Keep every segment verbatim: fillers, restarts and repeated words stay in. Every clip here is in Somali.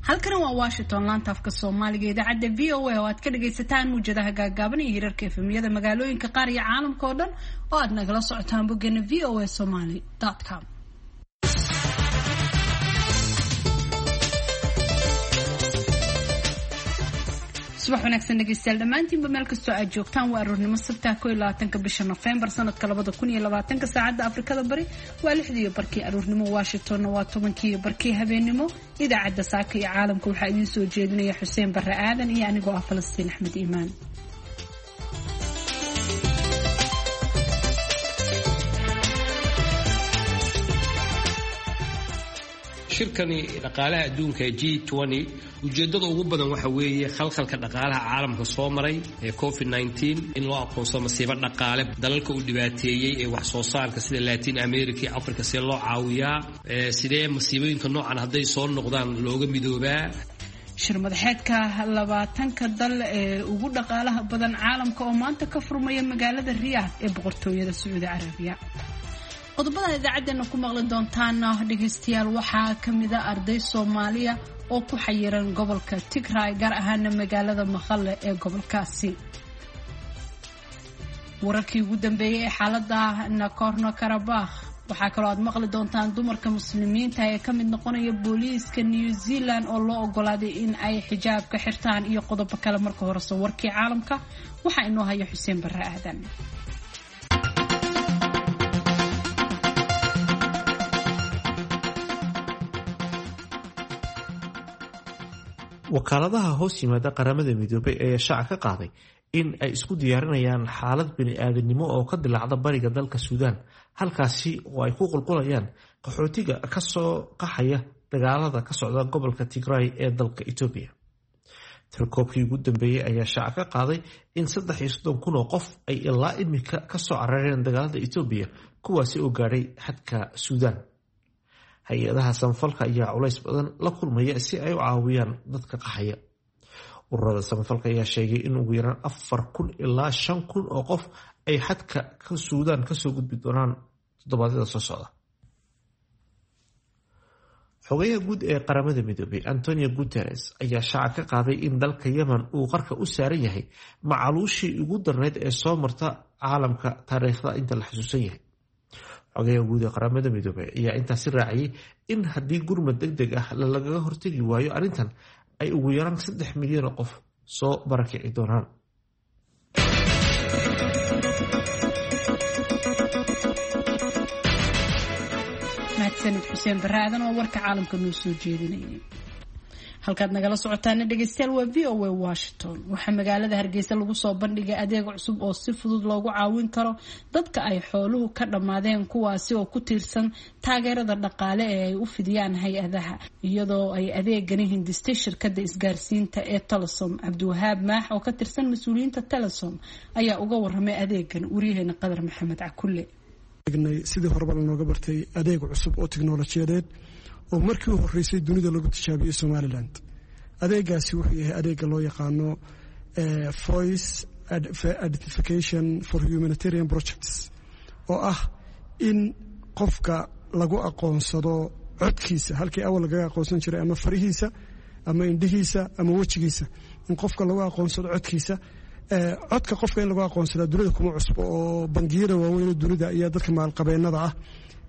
Halkani waa Washington, laanta afka Soomaaliga, idaacadda V O A oo aad ka dhagaysataan muwjadaha gaagaaban iyo hirarka F M-yada magaalooyinka qaar iyo caalamka oo dhan oo aad nagala socotaan boggeena V O A Somali com. Subax wanaagsan dhegeystayaal dhammaantiinba, meel kastoo aad joogtaan. Waa aroornimo Sabtaha, koo iyo labaatanka bisha Nofembar sanadka labada kun iyo labaatanka. Saacadda Afrikada Bari waa lixdii barkii aroornimo, Washingtonna waa tobankii barkii habeennimo. Idaacadda saaka iyo caalamka waxaa idiin soo jeedinaya Xuseen Barre Aadan iyo anigoo ah Falastiin Axmed Iimaan. Shirkani dhaqaalaha adduunka ee G, ujeeddada ugu badan waxa weeye khalkhalka dhaqaalaha caalamka soo maray ee covid in loo aqoonsado masiibo dhaqaale, dalalka uu dhibaateeyey ee wax soo saarka sida Latin America iyo Africa see loo caawiyaa, sidee masiibooyinka noocan hadday soo noqdaan looga midoobaa. Shir madaxeedka labaatanka dal ee ugu dhaqaalaha badan caalamka oo maanta ka furmaya magaalada Riyaad ee Boqortooyada Sacuudi Carabiya. Qodobada idaacaddeenna ku maqli doontaana dhegaystayaal waxaa ka mida arday Soomaaliya oo ku xayiran gobolka Tigray, gaar ahaana magaalada Maqale ee gobolkaasi. Wararkii ugu dambeeyey ee xaalada Nagorno Karabakh. Waxaa kaloo aad maqli doontaan dumarka Muslimiinta ee ka mid noqonaya booliiska New Zealand oo loo ogolaaday in ay xijaabka xirtaan iyo qodobo kale. Marka horese warkii caalamka waxaa inoo haya Xuseen Barre Aadan. Wakaaladaha hoos yimaada Qaramada Midoobay ayaa shaaca ka qaaday in ay isku diyaarinayaan xaalad bini-aadanimo oo ka dilaacda bariga dalka Suudaan, halkaasi oo ay ku qulqulayaan qaxootiga kasoo qaxaya dagaalada ka socda gobolka Tigray ee dalka Itoobiya. Tirakoobkii ugu dambeeyey ayaa shaaca ka qaaday in saddex iyo soddon kun oo qof ay ilaa imika kasoo carareen dagaalada Itoobiya, kuwaasi oo gaadhay xadka Suudaan. Hay-adaha samafalka ayaa culays badan la kulmaya si ay u caawiyaan dadka qaxaya. Ururada samafalka ayaa sheegay in ugu yaraan afar kun ilaa shan kun oo qof ay xadka Suudaan kasoo gudbi doonaan toddobaadyada soo socda. Xogayaha guud ee Qaramada Midoobay Antonio Guterres ayaa shaaca ka qaaday in dalka Yemen uu qarka u saaran yahay macaluushii ugu darneyd ee soo marta caalamka taariikhda inta la xasuusan yahay. Xogayaha guud ee Qaramada Midoobay ayaa intaasi raaciyay in haddii gurmad deg deg ah lagaga hortegi waayo arrintan, ay ugu yaraan saddex milyan oo qof soo barakici doonaan. Mahadsanid Xuseen Barre Aadan oo warka caalamka noo soo jeedinayay. Halkaad nagala socotaana dhegeystayaal waa V O A Washington. Waxaa magaalada Hargeysa lagu soo bandhigay adeeg cusub oo si fudud loogu caawin karo dadka ay xooluhu ka dhammaadeen, kuwaasi oo ku tiirsan taageerada dhaqaale ee ay u fidiyaan hay-adaha, iyadoo ay adeegani hindistay shirkada isgaarsiinta ee Telesom. Cabdiwahaab Maax oo ka tirsan mas-uuliyiinta Telesom ayaa uga waramay adeegan wariyaheena Qadar Maxamed Cakulle. Sidii horeba lanooga bartay, adeeg cusub oo tiknolojiyadeed oo markii u horeysay dunida lagu tijaabiyey Somaliland. Adeegaasi wuxuu yahay adeega loo yaqaano Voice Identification for Humanitarian Projects, oo ah in qofka lagu aqoonsado codkiisa halkii awal lagaga aqoonsan jiray ama farihiisa ama indhihiisa ama wejigiisa, in qofka lagu aqoonsado codkiisa. Codka qofka in lagu aqoonsadaa dunida kuma cusbo, oo bangiyada waaweyn dunida ayaa dadka maalqabeennada ah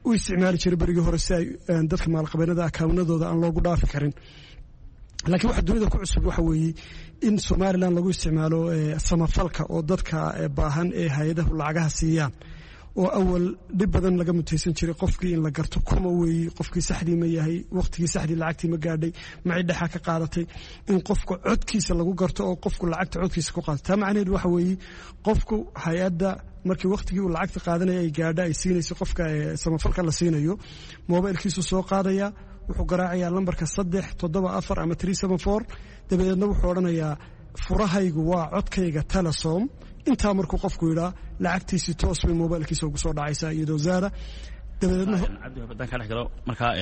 u isticmaali jiray berigii hore si ay dadka maalqabeennada akawnadooda aan loogu dhaafi karin. Laakiin waxa dunida ku cusub waxa weeye in Somaliland lagu isticmaalo samafalka, oo dadka baahan ee hay-adahu lacagaha siiyaan, oo awal dhib badan laga mutaysan jiray qofkii in la garto kuma weeyi, qofkii saxdii ma yahay, waqtigii saxdii lacagtii ma gaadhay, macidhaxa ka qaadatay, in qofka codkiisa lagu garto oo qofku lacagta codkiisa ku qaato. Taa macnaheedu waxa weeye qofku hay-adda markii waqtigii uu lacagta qaadanaya ay gaadha, ay siinayso qofka samafalka la siinayo, moobaylkiisu soo qaadaya, wuxuu garaacayaa lambarka saddex toddoba afar ama three seven four. Dabadeedna wuxuu odhanayaa, "Furahaygu waa codkayga Telesom." Intaa markuu qofku yidhaa, lacagtiisi toos bay mobaylkiisa ugu soo dhacaysaa iyadoo zaada. Dabadeedna Cabdi, haddaan ka dhex galo markaa,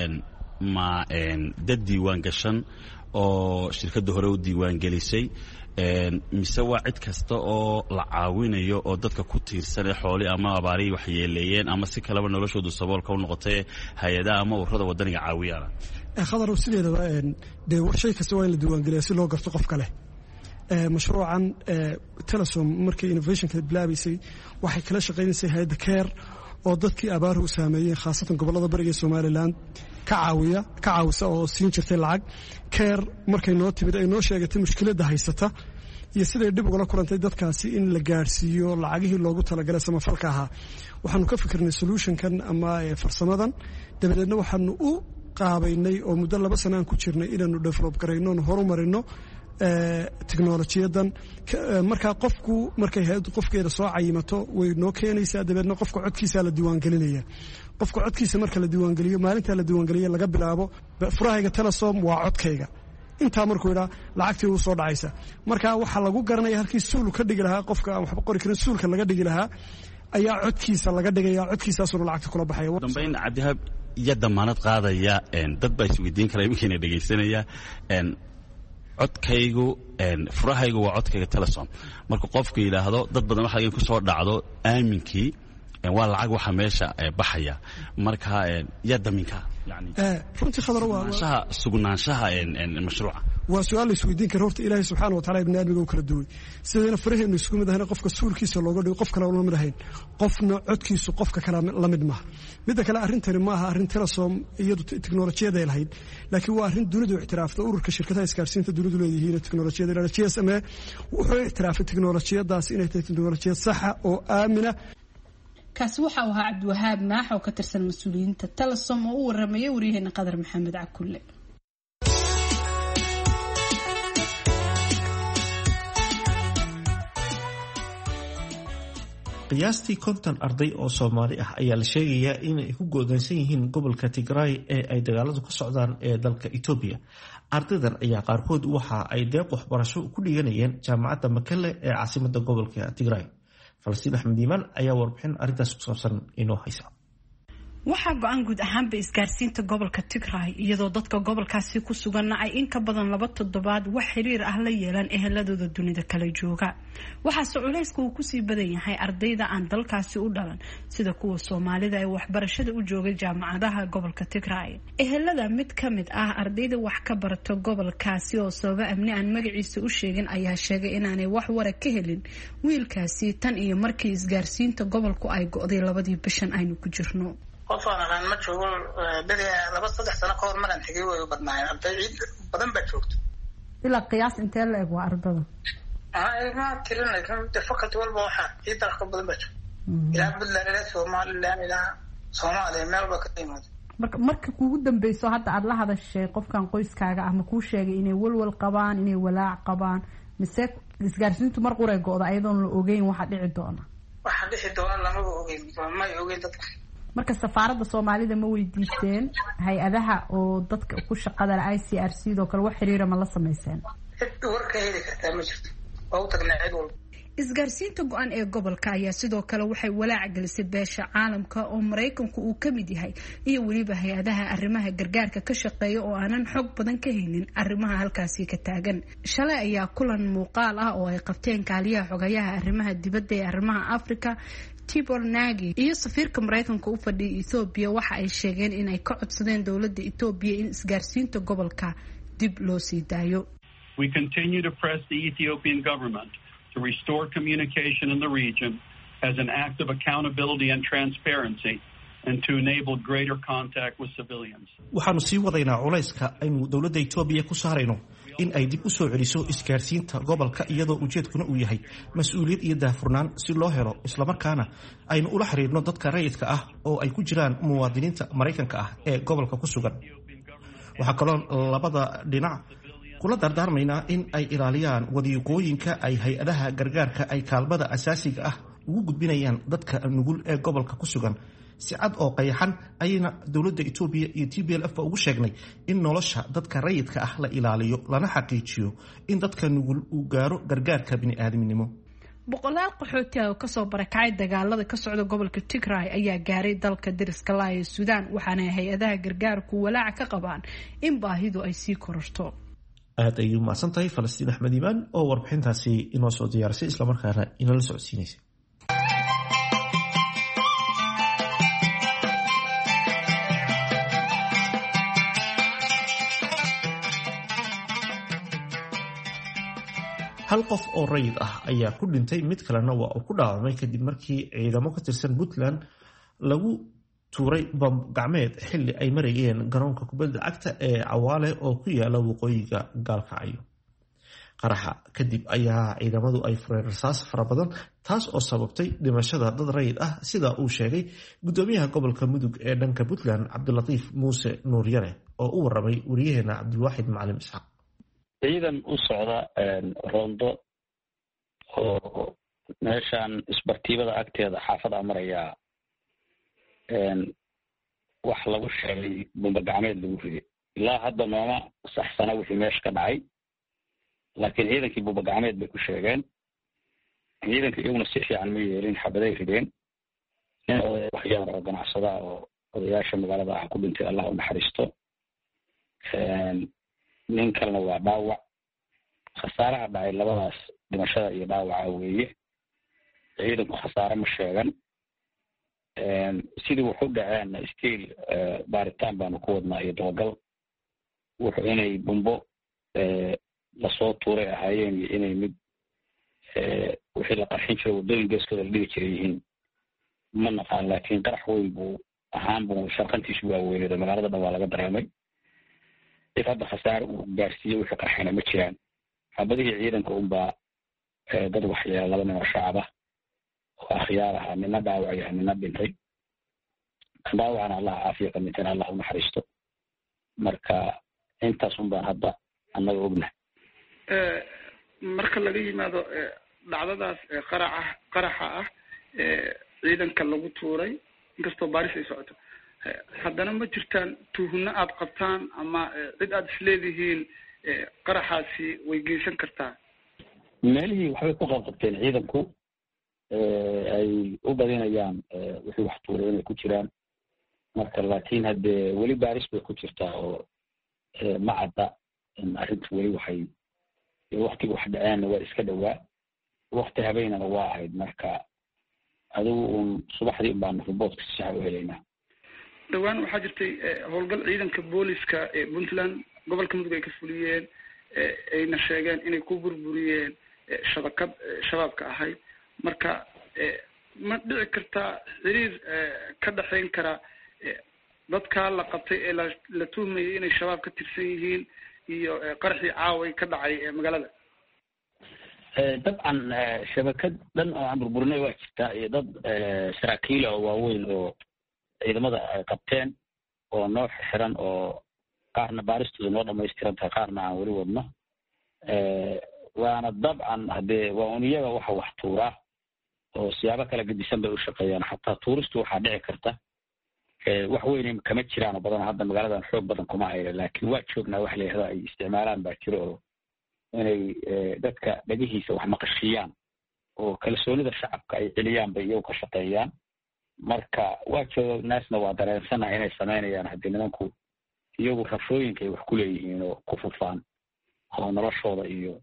ma dad diiwaan gashan oo shirkadda hore u diiwaan gelisay, mise waa cid kasta oo la caawinayo oo dadka ku tiirsan ee xooli ama abaarihii waxyeeleeyeen ama si kaleba noloshoodu saboolka u noqotay, hay-adaha ama ururada wadaniga caawiyana? Khadarow, sideedaba dee shay kasta waa in la diiwaangeliya si loo garto qof kale. Mashruucan Telesom markii innovationka bilaabaysay waxay kala shaqaynaysay hay-adda CARE oo dadkii abaaruhu saameeyeen, khaasatan gobollada bariga ee Somaliland, ka caawiya ka caawisa oo siin jirtay lacag. CARE markay noo timid ay noo sheegatay mushkiladda haysata iyo siday dhib ugala kulantay dadkaasi in la gaadhsiiyo lacagihii loogu talagalay samafalka ahaa, waxaanu ka fikirnay solutionkan ama farsamadan. Dabadeedna waxaanu u qaabaynay oo muddo laba sana aan ku jirnay inaanu develop garayno onu horumarino teknolojiyadan. Markaa qofku markay hay-addu qofkeeda soo cayimato way noo keenaysaa, dabeedna qofka codkiisaa la diiwaangelinaya. Qofka codkiisa marka la diiwaangeliyo, maalintaa la diiwaangeliya laga bilaabo, furahayga Telesom waa codkayga. Intaa markuu idhaa lacagtii uu soo dhacaysa. Marka waxaa lagu garanaya halkii suul ka dhigi lahaa qofka aan waxba qori karin, suulka laga dhigi lahaa ayaa codkiisa laga dhigaya, codkiisaasuna lacagta kula baxaya. Dambayn, Cabdihaab, iyo damaanad qaadaya, dad baa isweydiin kara iminkiina dhegaysanaya, codkaygu, furahaygu waa codkayga Telesom, marka qofku yidhaahdo dad badan waxa ku soo dhacdo aaminkii waa lacag waxa meesha baxaya, marka yaa daminka? Runtii khadar waa sugnaanshaha mashruuca. Waa su-aal la isweydiin kara. Horta Ilaahay subxaana wa tacala ibni aadmiga u kala duway, sidayna faraheenu isku mid ahayn qofka suulkiisa looga dhigo qof kale la mid ahayn, qofna codkiisu qofka kale la mid maaha. Midda kale, arrintani maaha arrin Telesom iyadu teknolojiyaday lahayd, laakiin waa arrin dunidu ictiraafta. Ururka shirkadaha isgaarsiinta dunidu leeyihiin teknolojiyada G S M A wuxuu ictiraafay teknolojiyadaas inay tahay teknolojiyad saxa oo aamina. Kaasi waxa uu ahaa Cabdiwahaab Maax oo ka tirsan mas-uuliyiinta Telesom oo u waramayay waryaheena Qadar Maxamed Cakulle. Qiyaastii konton arday oo Soomaali ah ayaa la sheegayaa inay ku go'doonsan yihiin gobolka Tigray ee ay dagaaladu ka socdaan ee dalka Itoobiya. Ardaydan ayaa qaarkood waxa ay deeq waxbarasho ku dhiganayeen jaamacadda Makelle ee caasimadda gobolka Tigray. Falastiin Axmed Iimaan ayaa warbixin arrintaas ku saabsan inoo haysa. Waxaa go-an guud ahaanba isgaarsiinta gobolka Tigray, iyadoo dadka gobolkaasi ku suganna ay in ka badan laba toddobaad wax xiriir ah la yeelaan eheladooda dunida kala jooga. Waxaase culayska uu kusii badan yahay ardayda aan dalkaasi u dhalan, sida kuwa Soomaalida ee waxbarashada u joogay jaamacadaha gobolka Tigray. Ehelada mid ka mid ah ardayda wax ka barata gobolkaasi oo sababa amni aan magaciisa u sheegin ayaa sheegay inaanay wax wara ka helin wiilkaasi tan iyo markii isgaarsiinta gobolku ay go-day labadii bishan aynu ku jirno. Qof aan aqaan ma joogo. Beri laba saddex sano ka hor maraan tegay way u badnaayeen, arday ciid badan baa joogto. Ilaa qiyaas intee la eg waa ardada? Ma tirin, de faculty walba waxaa ciidda ka badan baa joogto, ilaa Puntland, ilaa Somaliland, ilaa Soomaaliya, meel ba ka yimaado. Marka marka kuugu dambeyso hadda aada la hadashay qofkan qoyskaaga ah, ma kuu sheegay inay walwal qabaan, inay walaac qabaan, mise isgaarsiintu mar quray go-da ayadoon la ogeyn waxa dhici doona? Waxa dhici doona lamaba ogeyn, may ogeyn dadka. Marka safaaradda Soomaalida ma weydiisteen, hay-adaha oo dadka ku shaqada I C R C doo kale wax xiriira ma la samayseen? Cid war ka heli kartaa ma jirto, waa u tagnaa cid walba. Isgaarsiinta go-an ee gobolka ayaa sidoo kale waxay walaac gelisay beesha caalamka oo Maraykanku uu ka mid yahay iyo weliba hay-adaha arrimaha gargaarka ka shaqeeya oo aanan xog badan ka haynin arrimaha halkaasi ka taagan. Shalay ayaa kulan muuqaal ah oo ay qabteen kaaliyaha xogayaha arrimaha dibadda ee arrimaha Africa Tibor Nagy iyo safiirka Maraykanka u fadhiyay Etoobiya waxa ay sheegeen inay ka codsadeen dowladda Etoobiya in isgaarsiinta gobolka dib loo sii daayo. We continue to press the Ethiopian government to restore communication in the region as an act of accountability and transparency and to enable greater contact with civilians. Waxaanu sii wadaynaa culayska aynu dowladda Itoobiya ku saarayno in ay dib u soo celiso isgaarsiinta gobolka, iyadoo ujeedkuna uu yahay mas-uuliyad iyo daahfurnaan si loo helo, islamarkaana aynu ula xiriirno dadka rayidka ah oo ay ku jiraan muwaadiniinta Maraykanka ah ee gobolka ku sugan. Waxaa kaloo labada dhinac kula dardaarmaynaa in ay ilaaliyaan wadiiqooyinka ay hay-adaha gargaarka ay kaalmada asaasiga ah ugu gudbinayaan dadka nugul ee gobolka ku sugan. Si cad oo qayaxan ayayna dowladda Itoobiya iyo T B L F ba ugu sheegnay in nolosha dadka rayidka ah la ilaaliyo lana xaqiijiyo in dadka nugul uu gaaro gargaarka bini'aadminimo. Boqolaal qaxooti ah oo kasoo barakacay dagaalada ka socda gobolka Tigray ayaa gaaray dalka deriska laa ee Suudaan, waxaana hay-adaha gargaarku walaaca ka qabaan in baahidu ay sii kororto. Aad ayay umahadsan tahay Falastiin Axmed Iimaan oo warbixintaasi inoo soo diyaarisay islamarkaana inala socodsiinaysay. Hal qof oo rayid ah ayaa ku dhintay, mid kalena waa uu ku dhaawacmay kadib markii ciidamo ka tirsan Puntland lagu tuuray bam gacmeed xilli ay marayeen garoonka kubadda cagta ee Cawaale oo ku yaala waqooyiga Gaalkacyo. Qaraxa kadib ayaa ciidamadu ay fureen rasaas fara badan, taas oo sababtay dhimashada dad rayid ah, sida uu sheegay gudoomiyaha gobolka Mudug ee dhanka Puntland, Cabdilatiif Muuse Nuuryare, oo u waramay wariyaheena Cabdilwaaxid Macalin Isxaaq. Ciidan u socda roondo oo meeshan isbartiibada agteeda xaafada marayaa, wax lagu sheegay bumba gacmeed lagu riday. Ilaa hadda nooma saxsana wixii meesha ka dhacay, laakiin ciidankii bumba gacmeed bay ku sheegeen. Ciidanka iyaguna si fiican ma yeelin, xabaday rideen. Nin oday waxyaar oo ganacsadaa oo odayaasha magaalada ah ku dhintay, Allah u naxariisto. Nin kalena waa dhaawac. Khasaaraha dhacay labadaas dhimashada iyo dhaawaca weeye. Ciidanku khasaare ma sheegan. Sidii wuxu dhaceenna stiil baaritaan baanu ku wadnaa iyo dabagal. Wuxuu inay bumbo lasoo tuuray ahaayeen iyo inay mid wixii la qarxin jiray waddooyin geeskooda la dhigi jiray yihiin ma naqaan, laakiin qarax weyn buu ahaan buu sharqantiisu waaweyneed oo magaalada dhan waa laga dareemay. Cid hadda khasaare uu gaarsiiyey wixii qarxayna ma jiraan. Xabadihii ciidanka unbaa dad waxyeela, laba nin oo shacab ah oo akhyaar ahaa, nina dhaawac yahay nina dhintay. Dhaawacana Allah caafiya, ka dhintayna Allah u naxariisto. Marka intaas un baan hadda annaga ognahay. Marka laga yimaado dhacdadaas qaraca qaraxa ah ciidanka lagu tuuray, inkastoo baaris ay socoto, haddana ma jirtaan tuhno aad qabtaan ama cid aada isleedihiin qaraxaasi way geysan kartaa? Meelihii waxbay ku qabqabteen ciidanku, ay u badinayaan wixii wax tuuray inay ku jiraan. Marka laakiin haddee weli baaris bay ku jirtaa oo ma cadda arrintu weli. Waxay waktiga wax dhaceenna waa iska dhowaa, wakti habeenana waa ahayd. Marka adigu uun subaxdii un baanu riboodka si saxa u helaynaa. Dhowaan waxaa jirtay howlgal ciidanka booliska ee Puntland gobolka Mudug ay ka fuliyeen, ayna sheegeen inay ku burburiyeen shabakad shabaabka ahayd. Marka ma dhici kartaa xiriir ka dhexayn kara dadkaa la qabtay ee la tuhmayay inay shabaab ka tirsan yihiin iyo qaraxii caaway ka dhacay magaalada? Dabcan shabakad dhan oo aan burburinay waa jirtaa, iyo dad saraakiila oo waaweyn oo ciidamada ay qabteen oo noo xiran, oo qaarna baaristooda noo dhamaystiran tahay, qaarna aan weli wadno. Waana dabcan haddee waa un iyaga waxa wax tuuraa oo siyaabo kala gedisan bay u shaqeeyaan. Xataa tuuristu waxaa dhici karta wax weyn kama jiraan oo badan hadda magaaladan xoog badan kuma hayla, laakiin waa joognaa. Wax la yihahdo ay isticmaalaan baa jiro oo inay dadka dhegihiisa wax maqashiyaan oo kalsoonida shacabka ay celiyaan bay iyagu ka shaqeeyaan. Marka waa joognaasna waa dareensana inay samaynayaan. Haddii nimanku iyagu rafooyinka ay wax ku leeyihiin oo ku fufaan oo noloshooda iyo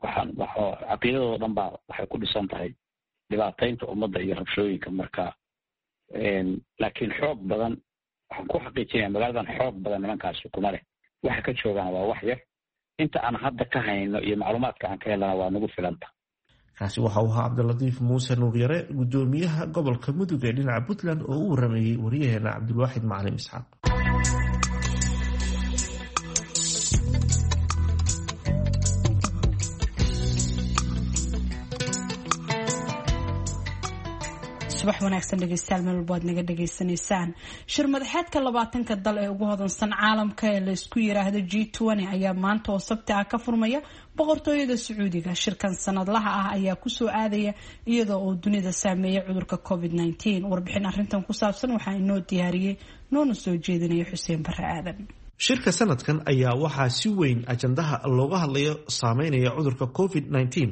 waxaan caqiidadooda dhan baa waxay ku dhisan tahay dhibaataynta ummadda iyo rabshooyinka. Marka laakiin xoog badan waxaan ku xaqiijinaya magaaladan xoog badan nimankaasi kuma leh. Waxa ka joogaan waa wax yar, inta aan hadda ka hayno iyo macluumaadka aan ka helana waa nagu filanta. Kaasi waxa uu ahaa Cabdilatiif Muuse Nuuryare, gudoomiyaha gobolka Mudug ee dhinaca Puntland, oo u waramayey wariyaheena Cabdilwaaxid Macalin Isxaaq. Subax wanaagsan dhegeystayaal, meel walbo aad naga dhegeysanaysaan. Shir madaxeedka labaatanka dal ee ugu hodansan caalamka ee laysku yiraahdo G twenty ayaa maanta oo sabti ah ka furmaya boqortooyada Sacuudiga. Shirkan sanadlaha ah ayaa kusoo aadaya iyadoo uu dunida saameeyay cudurka covid nineteen. Warbixin arrintan ku saabsan waxaa inoo diyaariyey noona soo jeedinaya Xuseen Barre Aadan. Shirka sanadkan ayaa waxaa si weyn ajandaha looga hadlayo saameynaya cudurka covid nineteen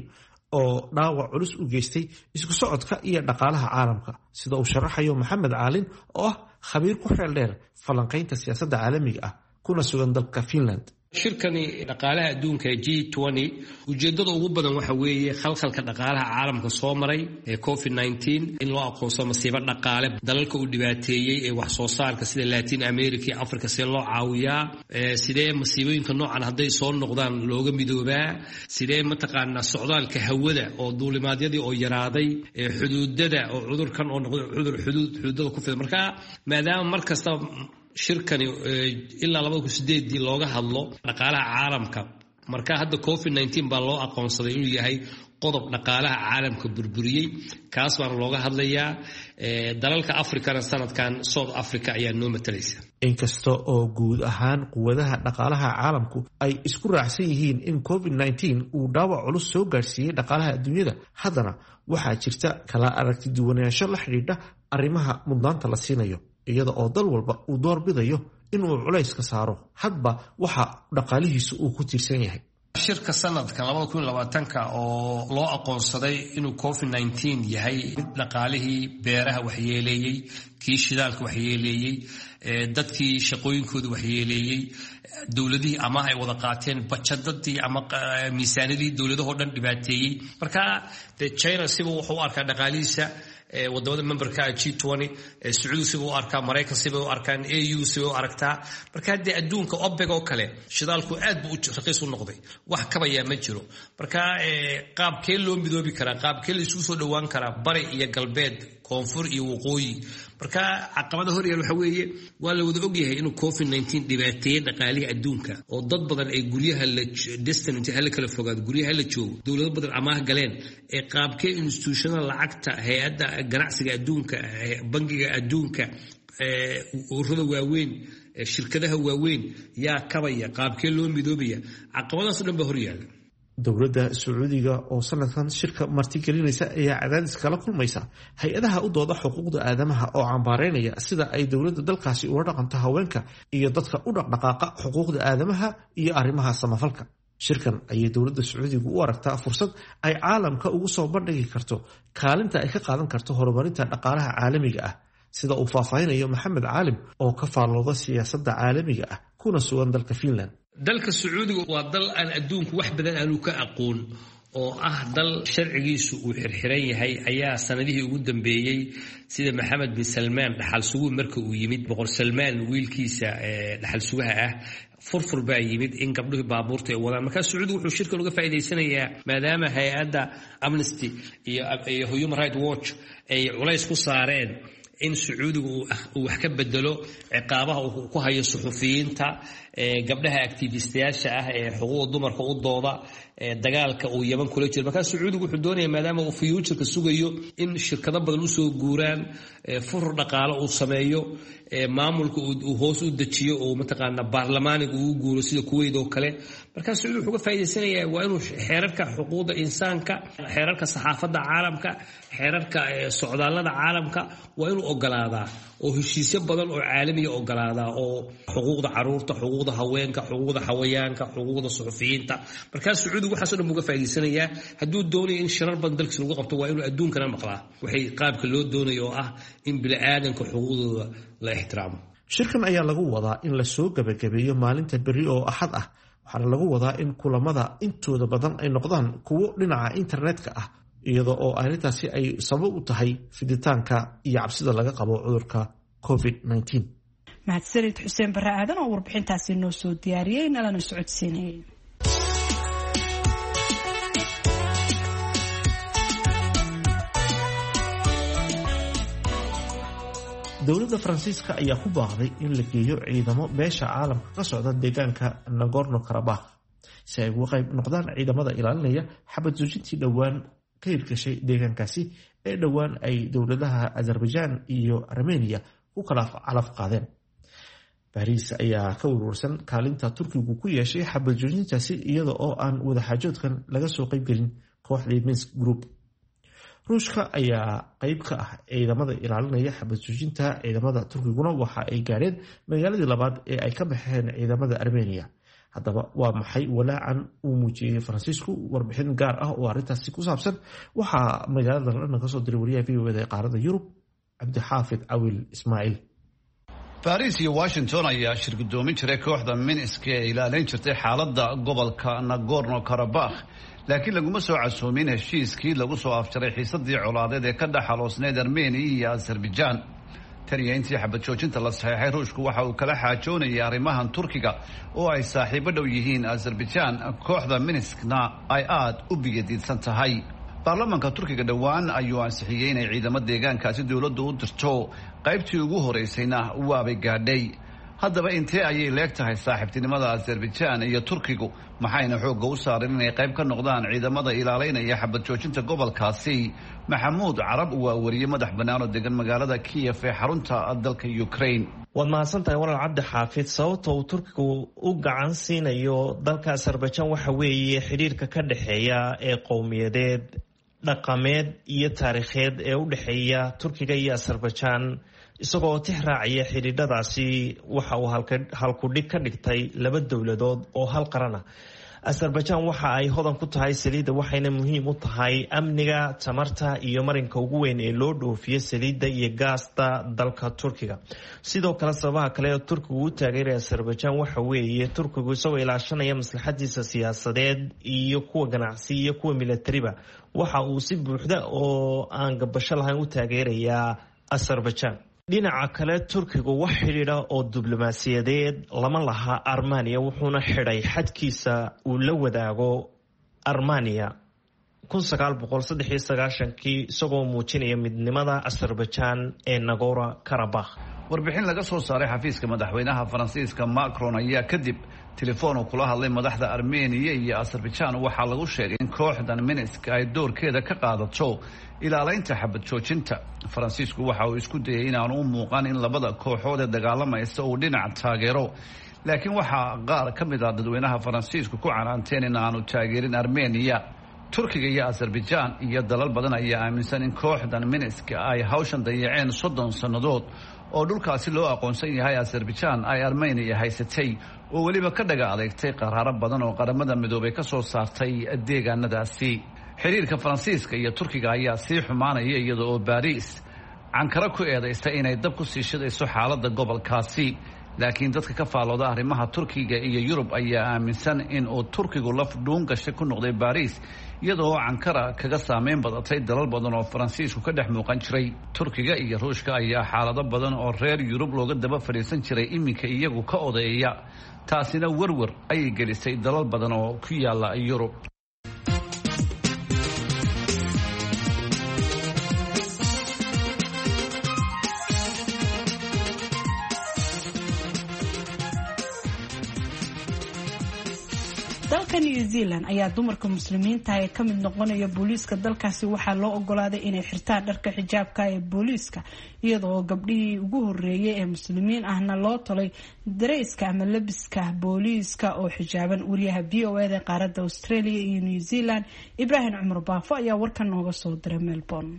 oo dhaawac culus u geystay isku socodka iyo dhaqaalaha caalamka, sida uu sharaxayo Maxamed Caalin oo ah khabiir ku xeel dheer falanqaynta siyaasadda caalamiga ah kuna sugan dalka Finland. Shirkani dhaqaalaha adduunka ee G twenty ujeeddada ugu badan waxa weeye khalkhalka dhaqaalaha caalamka soo maray ee covid nineteen in loo aqoonsado masiibo dhaqaale dalalka uu dhibaateeyey ee wax soo saarka sida Latin America iyo Africa see loo caawiyaa, sidee masiibooyinka noocan hadday soo noqdaan looga midoobaa, sidee mataqaanaa socdaalka hawada oo duulimaadyadii oo yaraaday, xuduudada oo cudurkan oo noqday cudur xuduud xuduudada ku fida. Marka maadaama mar kasta shirkani ilaa labada kun sideedii looga hadlo dhaqaalaha caalamka, marka hadda covid nineteen baa loo aqoonsaday inuu yahay qodob dhaqaalaha caalamka burburiyey, kaas baana looga hadlayaa. Dalalka Afrikana sanadkan South Africa ayaa noo matalaysa. Inkasta oo guud ahaan quwadaha dhaqaalaha caalamku ay isku raacsan yihiin in covid nineteen uu dhaawac culus soo gaarsiiyey dhaqaalaha adduunyada, haddana waxaa jirta kala aragti duwanaansho la xidhiidha arrimaha mudnaanta la siinayo, iyada oo dal walba uu door bidayo inuu culayska saaro hadba waxa dhaqaalihiisu uu ku tiirsan yahay. Shirka sanadka labada kun labaatanka oo loo aqoonsaday inuu covid nineteen yahay mid dhaqaalihii beeraha waxyeeleeyey, kii shidaalka waxyeeleeyey, dadkii shaqooyinkooda waxyeeleeyey, dowladihii amaah ay wada qaateen, bajadadii ama miisaanadii dowladahoo dhan dhibaateeyey. Marka dee China siba wuxuu u arkaa dhaqaalihiisa, wadamada memberka G twenty, Sacuudi siba u arkaa, Maraykan siba u arkaan, A U siba u aragtaa. Marka haddee adduunka OPEC oo kale shidaalku aad buu raqiis u noqday, wax kabayaa ma jiro. Marka qaabkee loo midoobi karaa, qaabkee la isugu soo dhowaan karaa bari iyo galbeed, koonfur iyo waqooyi? Marka caqabada hor yaal waxa weeye waa la wada ogyahay inuu covid nineteen dhibaateeyey dhaqaalihii adduunka, oo dad badan ay guryaha la distant inta hala kala fogaado, guryaha la joogo, dowlado badan amaah galeen. Ee qaabkee institutionada lacagta, hay-adda ganacsiga adduunka, bangiga adduunka, ururada waaweyn, shirkadaha waaweyn yaa kabaya, qaabkee loo midoobaya? Caqabadaas o dhan baa hor yaala. Dowladda Sacuudiga oo sanadkan shirka martigelinaysa ayaa cadaadis kala kulmaysa hay-adaha u dooda xuquuqda aadamaha oo cambaareynaya sida ay dowladda dalkaasi ula dhaqanto haweenka iyo dadka u dhaqdhaqaaqa xuquuqda aadamaha iyo arrimaha samafalka. Shirkan ayay dowladda Sacuudigu u aragtaa fursad ay caalamka ugu soo bandhigi karto kaalinta ay ka qaadan karto horumarinta dhaqaalaha caalamiga ah, sida uu faahfaahinayo Maxamed Caalim oo ka faallooda siyaasadda caalamiga ah kuna sugan dalka Finland. Dalka Sacuudiga waa dal aan adduunku wax badan aanu ka aqoon, oo ah dal sharcigiisu uu xirxiran yahay, ayaa sanadihii ugu dambeeyey sida Maxamed bin Salmaan dhaxal suguhu marka uu yimid, boqor Salmaan wiilkiisa dhaxal sugaha ah, furfur baa yimid in gabdhuhii baabuurta ay wadaan. Markaa Sacuudigu wuxuu shirkan uga faa'iidaysanayaa maadaama hay-adda Amnesty iyo iyo Human Rights Watch ay culays ku saareen in Sacuudigu uu wax ka bedelo ciqaabaha uu ku hayo suxufiyiinta, gabdhaha activistayaasha ah ee xuquuqda dumarka u dooda, dagaalka uu Yemen kula jiro. Markaa Sacuudigu wuxuu doonayaa maadaama uu future-ka sugayo in shirkado badan usoo guuraan, furur dhaqaale uu sameeyo, maamulka uu hoos u dejiyo oo mataqaanaa baarlamaaniga uu guuro sida Kuwait oo kale. Markaa Sacuudi wuxuu ka faa'iidaysanayaa waa inuu xeerarka xuquuqda insaanka, xeerarka saxaafadda caalamka, xeerarka socdaallada caalamka waa inuu ogolaadaa, oo heshiisyo badan oo caalamiya ogolaadaa, oo xuquuqda caruurta, xuquuqda haweenka, xuquuqda xawayaanka, xuquuqda suxufiyiinta. Markaa Sacuudigu waxaas oo dhan buu ka faa'iidaysanayaa. Hadduu doonayo in shirar badan dalkiisa lagu qabto waa inuu adduunkana maqlaa waxay qaabka loo doonayo oo ah in bini'aadanka xuquuqdooda la ixtiraamo. Shirkan ayaa lagu wadaa in la soo gabagabeeyo maalinta berri oo Axad ah, waxaana lagu wadaa in kulamada intooda badan ay noqdaan kuwo dhinaca internetka ah, iyada oo arrintaasi ay sabab u tahay fiditaanka iyo cabsida laga qabo cudurka covid nineteen. Mahadsanid Xuseen Barre Aadan oo warbixintaasi noo soo diyaariyey nalana socodsiinayay. Dowladda Faransiiska ayaa ku baaqday in la geeyo ciidamo beesha caalamka ka socda deegaanka Nagorno Karabakh si ay uga qayb noqdaan ciidamada ilaalinaya xabad joojintii dhowaan ka hirgashay deegaankaasi ee dhowaan ay dowladaha Azerbaijan iyo Armenia ku kala calaf qaadeen. Bariis ayaa ka warwarsan kaalinta Turkigu ku yeeshay xabad joojintaasi iyada oo aan wadaxaajoodkan laga soo qaybgelin kooxdii Minsk Group. Ruushka ayaa qayb ka ah ciidamada ilaalinaya xabad joojinta. Ciidamada Turkiguna waxa ay gaadheen magaaladii labaad ee ay ka baxeen ciidamada Armenia. Haddaba waa maxay walaacan uu muujiyey Faransiisku? Warbixin gaar ah oo arrintaasi ku saabsan waxaa magaalada London kasoo diray wariyaha V O A da ee qaaradda Yurub, Cabdixaafid Cawil Ismaaciil. Baariis iyo Washington ayaa shir guddoomin jiray kooxda Minsk ee ilaalin jirtay xaaladda gobolka Nagorno Karabakh, laakiin laguma soo casuumin heshiiskii lagu soo afjaray xiisadii colaadeed ee ka dhex aloosneyd Armenia iyo Azerbaijan. Tan iyo intii xabad joojinta la saxeexay, Ruushku waxa uu kala xaajoonayay arrimahan Turkiga oo ay saaxiibo dhow yihiin Azerbaijan, kooxda Minskna ay aada u biyadiidsan tahay. Baarlamaanka Turkiga dhowaan ayuu ansixiyey inay ciidamo deegaankaasi dowladdu u dirto, qaybtii ugu horeysayna waabay gaadhay. Haddaba intee ayay leeg tahay saaxiibtinimada Azerbaijan iyo Turkigu, maxayna xoogga u saareen inay qayb ka noqdaan ciidamada ilaaleynaya xabad joojinta gobolkaasi? Maxamuud Carab waa wariye madax bannaan oo degan magaalada Kiyef ee xarunta dalka Ukraine. Waad mahadsantahay walaal Cabdi Xaafid. Sababta uu Turkigu u gacan siinayo dalka Azerbaijan waxa weeye xidhiirka ka dhexeeya ee qowmiyadeed, dhaqameed iyo taariikheed ee u dhexeeya Turkiga iyo Azerbaijan. Isagoo tix raacaya xidhiidhadaasi, waxa uu halkudhig ka dhigtay laba dowladood oo hal qaran ah. Azerbaijan waxa ay hodan ku tahay saliidda, waxayna muhiim u tahay amniga tamarta iyo marinka ugu weyn ee loo dhoofiyo saliidda iyo gaasta dalka Turkiga. Sidoo kale, sababaha kale ee Turkigu u taageeraya Azerbaijan waxa weeye Turkigu isagoo ilaashanaya maslaxadiisa siyaasadeed iyo kuwa ganacsi iyo kuwa milatariba, waxa uu si buuxda oo aan gabasho lahayn u taageerayaa Azerbaijan. Dhinaca kale, Turkigu wax xidhiidha oo diblomaasiyadeed lama laha Armenia, wuxuuna xidhay xadkiisa uu la wadaago Armenia kii, isagoo muujinaya midnimada Azerbaijan ee Nagorno Karabakh. Warbixin laga soo saaray xafiiska madaxweynaha Faransiiska Macron ayaa kadib telefoon uu kula hadlay madaxda Armeniya iyo Azerbaijan waxaa lagu sheegay in kooxdan Minsk ay doorkeeda ka qaadato ilaaleynta xabad joojinta. Faransiisku waxa uu isku dayay inaanu u muuqan in labada kooxood ee dagaalamaysa uu dhinac taageero, laakiin waxaa qaar ka mid ah dadweynaha Faransiisku ku canaanteen in aanu taageerin Armeniya. Turkiga iyo Azerbaijan iyo dalal badan ayaa aaminsan in kooxdan Minsk ay hawshan dayaceen soddon sannadood oo dhulkaasi loo aqoonsan yahay Azerbaijan ay Armeniya haysatay, oo weliba ka dhaga adeegtay qaraaro badan oo Qaramada Midoobay ka soo saartay deegaanadaasi. Xiriirka Faransiiska iyo Turkiga ayaa sii xumaanaya, iyada oo Baariis Cankaro ku eedaysa inay dab ku sii shidayso xaaladda gobolkaasi. Laakiin dadka ka faalooda arrimaha Turkiga iyo Yurub ayaa aaminsan in uu Turkigu laf dhuun gashay ku noqday Baariis, iyadoo Cankara kaga saameyn badatay dalal badan oo Faransiisku ka dhex muuqan jiray. Turkiga iyo Ruushka ayaa xaalado badan oo reer Yurub looga daba fadhiisan jiray iminka iyagu ka odeeya, taasina werwer ayay gelisay dalal badan oo ku yaala Yurub. Dalka New Zealand ayaa dumarka muslimiinta ee ka mid noqonaya booliiska dalkaasi waxaa loo ogolaaday inay xirtaan dharka xijaabka ee booliiska, iyadoo gabdhihii ugu horeeyay ee muslimiin ahna loo tolay dareyska ama labiska booliiska oo xijaaban. Wariyaha V O E da qaaradda Australia iyo New Zealand, Ibraahim Cumar Baafo, ayaa warkan nooga soo diray Melbourne.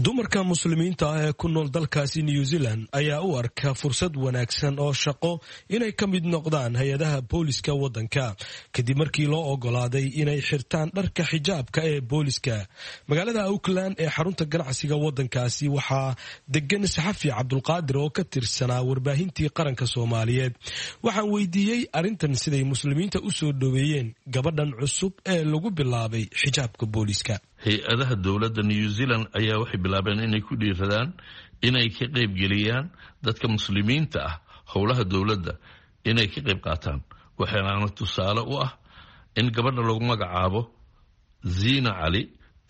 Dumarka muslimiinta ah ee ku nool dalkaasi New Zealand ayaa u arka fursad wanaagsan oo shaqo inay ka mid noqdaan hay-adaha booliska waddanka, kadib markii loo ogolaaday inay xirtaan dharka xijaabka ee booliska. Magaalada Auckland ee xarunta ganacsiga waddankaasi waxaa degan saxafi Cabdulqaadir oo ka tirsanaa warbaahintii qaranka Soomaaliyeed. Waxaan weydiiyey arrintan siday muslimiinta u soo dhoweeyeen gabadhan cusub ee lagu bilaabay xijaabka booliska. Hay-adaha dowladda New Zealand ayaa waxay bilaabeen inay ku dhiiradaan inay ka qaybgeliyaan dadka muslimiinta ah howlaha dowladda inay ka qayb qaataan. Waxaana tusaale u ah in gabadha lagu magacaabo Zina Cali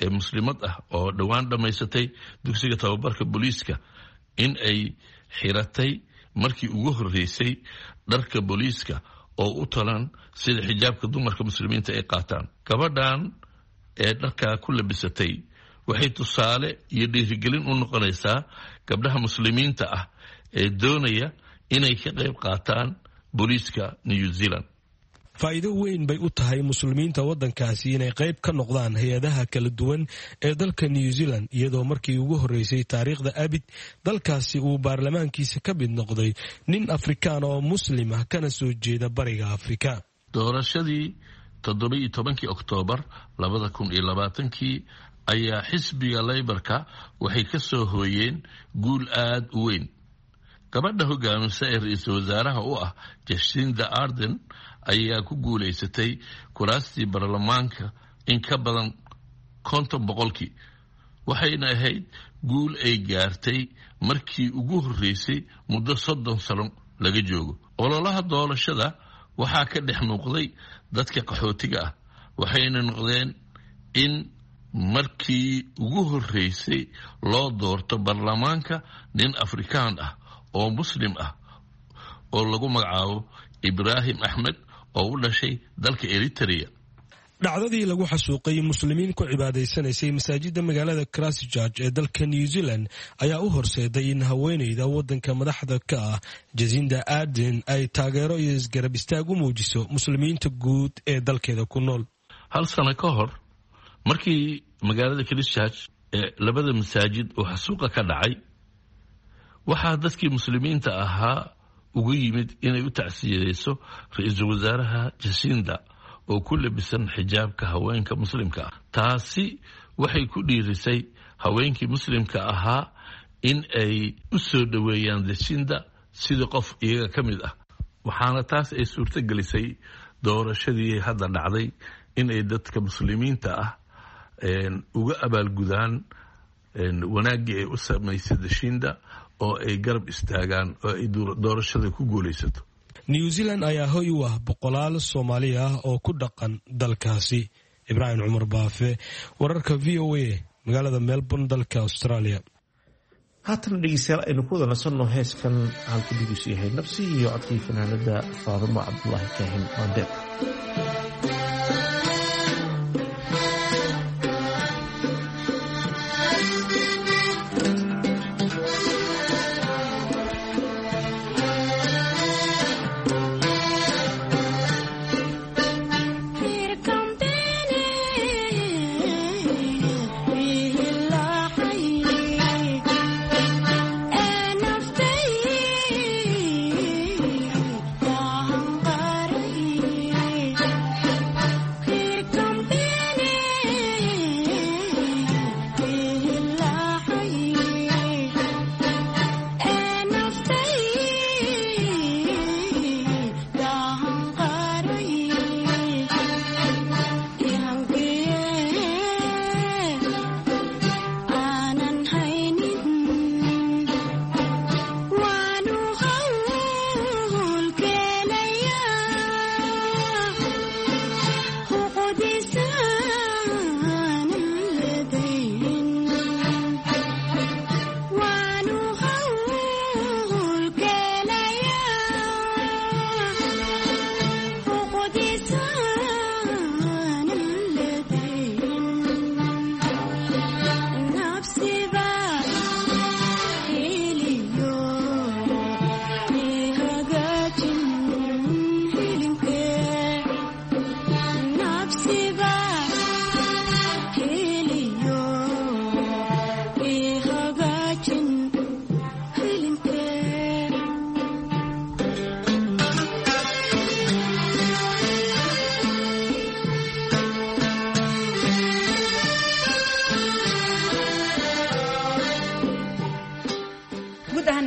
ee muslimad ah oo dhowaan dhammaysatay dugsiga tababarka booliiska in ay xiratay markii ugu horreysay dharka booliiska oo u talan sida xijaabka dumarka muslimiinta ay qaataan. Gabadhan ee dharkaa ku labisatay waxay tusaale iyo dhiirigelin u noqonaysaa gabdhaha muslimiinta ah ee doonaya inay ka qayb qaataan booliiska New Zealand. Faa'iido weyn bay u tahay muslimiinta waddankaasi inay qayb ka noqdaan hay-adaha kala duwan ee dalka New Zealand, iyadoo markii ugu horreysay taariikhda abid dalkaasi uu baarlamaankiisa ka mid noqday nin Afrikaan oo muslim ah kana soo jeeda bariga Afrika. Doorashadii toddoba-iyo tobankii Oktoobar labada kun iyo labaatankii ayaa xisbiga Leybarka waxay ka soo hooyeen guul aada u weyn. Gabadha hogaamisa ee ra-iisul wasaaraha u ah Jacinda Ardern ayaa ku guulaysatay kuraastii baarlamaanka in ka badan konton boqolkii, waxayna ahayd guul ay gaartay markii ugu horreysay muddo soddon sano laga joogo. Ololaha doorashada waxaa ka dhex muuqday dadka qaxootiga ah, waxayna noqdeen in markii ugu horreysay loo doorto baarlamaanka nin Afrikaan ah oo Muslim ah oo lagu magacaabo Ibraahim Axmed oo u dhashay dalka Eritrea. Dhacdadii lagu xasuuqay muslimiin ku cibaadaysanaysay masaajida magaalada Christchurch ee dalka New Zealand ayaa u horseeday in haweeneyda wadanka madaxda ka ah Jacinda Ardern ay taageero iyo isgarab istaag u muujiso muslimiinta guud ee dalkeeda ku nool. Hal sano ka hor markii magaalada Christchurch ee labada masaajid oo xasuuqa ka dhacay, waxaa dadkii muslimiinta ahaa ugu yimid inay u tacsiyadeyso ra-iisul wasaaraha Jacinda oo ku labisan xijaabka haweenka muslimka ah. Taasi waxay ku dhiirisay haweenkii muslimka ahaa in ay u soo dhoweeyaan Jacinda sidii qof iyaga ka mid ah, waxaana taas ay suurto gelisay doorashadii hadda dhacday in ay dadka muslimiinta ah uga abaalgudaan wanaaggii ay u samaysay Jacinda oo ay garab istaagaan oo ay doorashada ku guulaysato. New Zealand ayaa hoy u ah boqolaal Soomaali ah oo ku dhaqan dalkaasi. Ibraahim Cumar Baafe, wararka V O A, magaalada Melbourne, dalka Australia. Haatan dhegeystayaal aynu ku wada nasanno heeskan halku dhigiisu yahay Nabsi iyo codkii fanaanada Faadumo Cabdulaahi Kaahin Maandeer.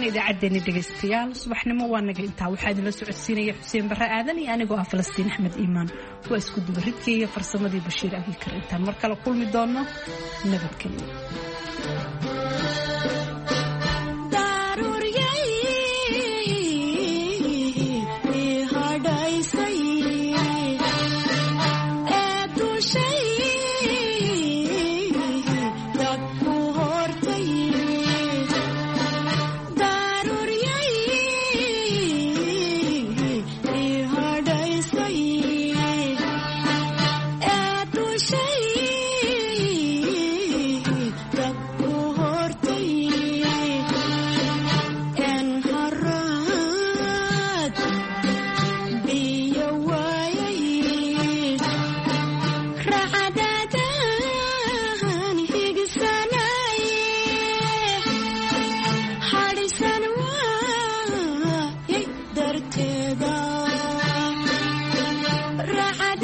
Idaacaddeeni dhegaystayaal subaxnimo waa naga intaa. Waxaa idinla socodsiinaya Xuseen Barre Aadan iyo anigoo ah Falastiin Axmed Iimaan. Waa isku dubaridkii iyo farsamadii Bashiir Abiikar. Intaan mar kale kulmi doonno, nabadgelyo. Ee